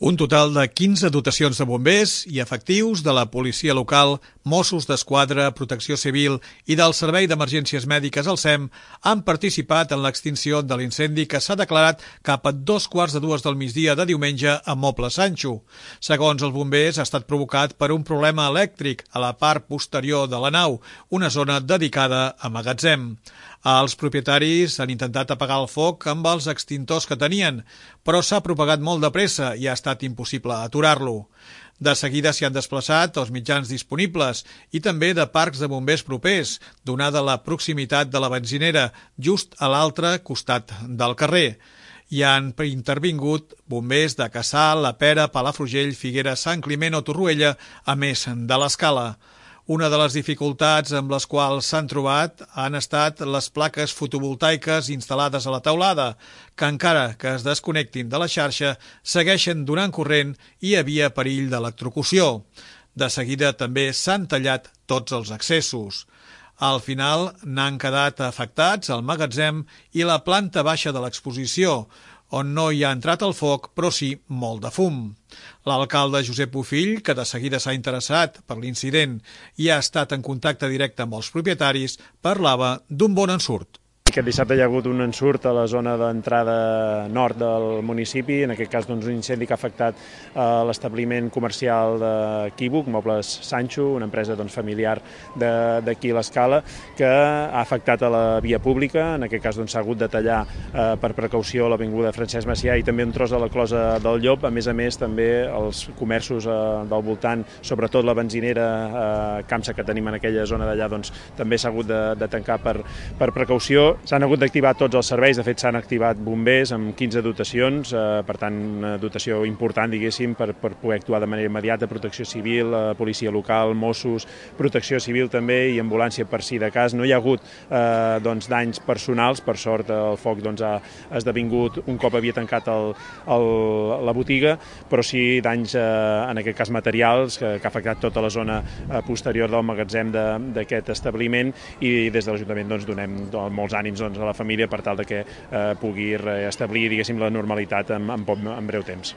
Un total de 15 dotacions de bombers i efectius de la policia local, Mossos d'Esquadra, Protecció Civil i del Servei d'Emergències Mèdiques al SEM han participat en l'extinció de l'incendi que s'ha declarat cap a 2:15 del migdia de diumenge a Moble Sancho. Segons els bombers, ha estat provocat per un problema elèctric a la part posterior de la nau, una zona dedicada a magatzem. Els propietaris han intentat apagar el foc amb els extintors que tenien, però s'ha propagat molt de pressa i ha estat impossible aturar-lo. De seguida s'hi han desplaçat els mitjans disponibles i també de parcs de bombers propers, donada la proximitat de la benzinera, just a l'altre costat del carrer. Hi han intervingut bombers de Cassà, La Pera, Palafrugell, Figueres, Sant Climent o Torroella, a més de l'Escala. Una de les dificultats amb les quals s'han trobat han estat les plaques fotovoltaiques instal·lades a la teulada, que encara que es desconnectin de la xarxa, segueixen donant corrent i hi havia perill d'electrocució. De seguida també s'han tallat tots els accessos. Al final n'han quedat afectats el magatzem i la planta baixa de l'exposició, on no hi ha entrat el foc, però sí molt de fum. L'alcalde Josep Bofill, que de seguida s'ha interessat per l'incident i ha estat en contacte directe amb els propietaris, parlava d'un bon ensurt. Aquest dissabte hi ha hagut un ensurt a la zona d'entrada nord del municipi, en aquest cas un incendi que ha afectat l'establiment comercial d'Equívoc, Mobles Sancho, una empresa familiar d'aquí a l'Escala, que ha afectat a la via pública. En aquest cas s'ha hagut de tallar per precaució l'avinguda Francesc Macià i també un tros de la closa del Llop. A més, també els comerços del voltant, sobretot la benzinera Camsa que tenim en aquella zona d'allà, també s'ha hagut de tancar per precaució. S'han hagut d'activar tots els serveis, de fet s'han activat bombers amb 15 dotacions, per tant una dotació important, diguéssim, per poder actuar de manera immediata, Protecció Civil, Policia Local, Mossos, Protecció Civil també i ambulància per si de cas. No hi ha hagut danys personals, per sort el foc ha esdevingut un cop havia tancat la botiga, però sí danys, en aquest cas materials, que ha afectat tota la zona posterior del magatzem d'aquest establiment i des de l'Ajuntament donem molts ànims a la família per tal que pugui restablir, diguéssim, la normalitat en breu temps.